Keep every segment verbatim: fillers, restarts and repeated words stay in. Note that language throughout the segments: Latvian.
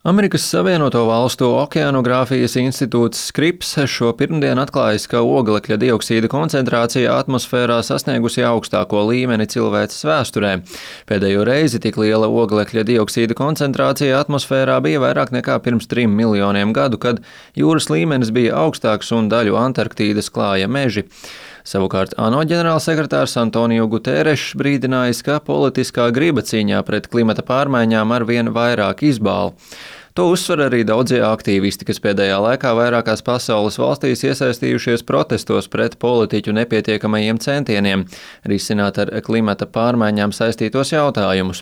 Amerikas Savienoto Valstu okeanogrāfijas institūts Scripps šo pirmdienu atklājis, ka oglekļa dioksīda koncentrācija atmosfērā sasniegusi augstāko līmeni cilvēces vēsturē. Pēdējo reizi tik liela oglekļa dioksīda koncentrācija atmosfērā bija vairāk nekā pirms trim miljoniem gadu, kad jūras līmenis bija augstāks un daļu Antarktīdas klāja meži. Savukārt ANO ģenerālsekretārs Antonio Guterres brīdinājis, ka politiskā griba cīņā pret klimata pārmaiņām arvien vairāk izbāla. To uzsver arī daudzie aktīvisti, kas pēdējā laikā vairākās pasaules valstīs iesaistījušies protestos pret politiķu nepietiekamajiem centieniem risināt ar klimata pārmaiņām saistītos jautājumus.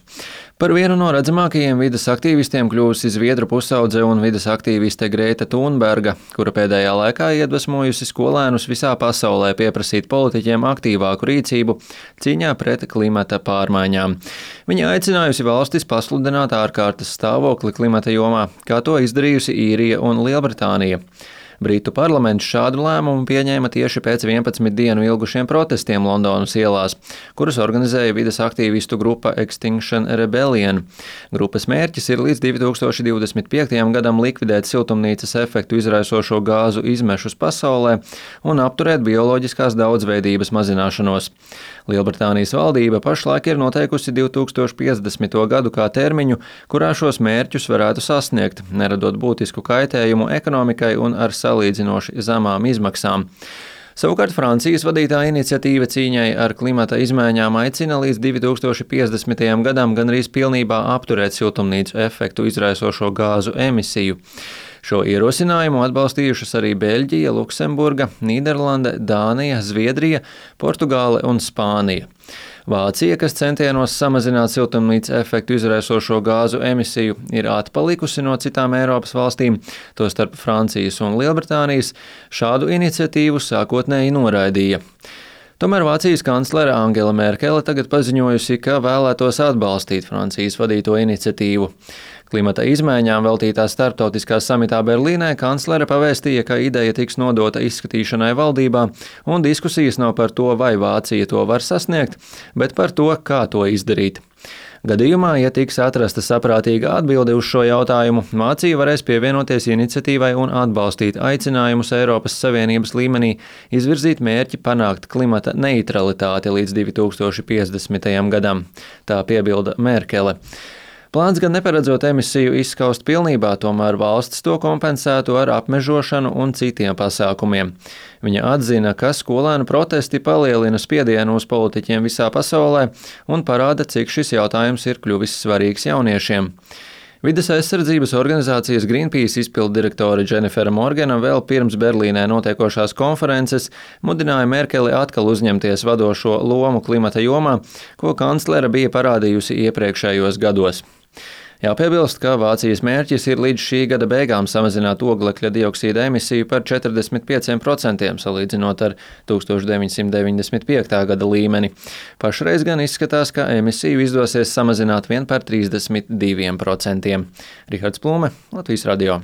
Par vienu no redzamākajiem vides aktīvistiem kļuvusi zviedru pusaudze un vides aktīviste Grēta Thunberga, kura pēdējā laikā iedvesmojusi skolēnus visā pasaulē pieprasīt politiķiem aktīvāku rīcību cīņā pret klimata pārmaiņām. Viņa aicinājusi valstis pasludināt ārkārtas stāvokli klimata jomā, kā to izdarījusi Īrija un Lielbritānija. Britu parlaments šādu lēmumu pieņēma tieši pēc vienpadsmit dienu ilgušiem protestiem Londonas ielās, kurus organizēja vides aktīvistu grupa Extinction Rebellion. Grupas mērķis ir līdz divi tūkstoši divdesmit piektajam gadam likvidēt siltumnīcas efektu izraisošo gāzu izmešus pasaulē un apturēt bioloģiskās daudzveidības mazināšanos. Lielbritānijas valdība pašlaik ir noteikusi divi tūkstoši piecdesmito gadu kā termiņu, kurā šos mērķus varētu sasniegt, neradot būtisku kaitējumu ekonomikai un ar salīdzinoši zemām izmaksām. Savukārt Francijas vadītā iniciatīva cīņai ar klimata izmaiņām aicina līdz divi tūkstoši piecdesmitajam gadam gandrīz pilnībā apturēt siltumnīcu efektu izraisošo gāzu emisiju. Šo ierosinājumu atbalstījušas arī Beļģija, Luksemburga, Nīderlande, Dānija, Zviedrija, Portugāle un Spānija. Vācija, kas centienos samazināt siltumnīcas efektu izraisošo gāzu emisiju, ir atpalikusi no citām Eiropas valstīm, tostarp Francijas un Lielbritānijas, šādu iniciatīvu sākotnēji noraidīja. Tomēr Vācijas kanclere Angela Merkele tagad paziņojusi, ka vēlētos atbalstīt Francijas vadīto iniciatīvu. Klimata izmaiņām veltītā starptautiskā samitā Berlīnē kanclere pavēstīja, ka ideja tiks nodota izskatīšanai valdībā, un diskusijas nav par to, vai Vācija to var sasniegt, bet par to, kā to izdarīt. Gadījumā, ja tiks atrasta saprātīga atbilde uz šo jautājumu, Vācija varēs pievienoties iniciatīvai un atbalstīt aicinājumus Eiropas Savienības līmenī izvirzīt mērķi panākt klimata neitralitāti līdz divi tūkstoši piecdesmitajam gadam, tā piebilda Merkele. Plāns gan neparedzot emisiju izskaust pilnībā, tomēr valsts to kompensētu ar apmežošanu un citiem pasākumiem. Viņa atzina, ka skolēnu protesti palielina spiedienu uz politiķiem visā pasaulē un parāda, cik šis jautājums ir kļuvis svarīgs jauniešiem. Vides aizsardzības organizācijas Greenpeace izpilddirektore Dženifera Morgana vēl pirms Berlīnē notiekošās konferences mudināja Merkeli atkal uzņemties vadošo lomu klimata jomā, ko kanclere bija parādījusi iepriekšējos gados. Jāpiebilst, ka Vācijas mērķis ir līdz šī gada beigām samazināt oglekļa dioksīda emisiju par četrdesmit pieciem procentiem, salīdzinot ar tūkstoš deviņsimt deviņdesmit piektā gada līmeni. Pašreiz gan izskatās, ka emisiju izdosies samazināt vien par trīsdesmit diviem procentiem. Rihards Plūme, Latvijas radio.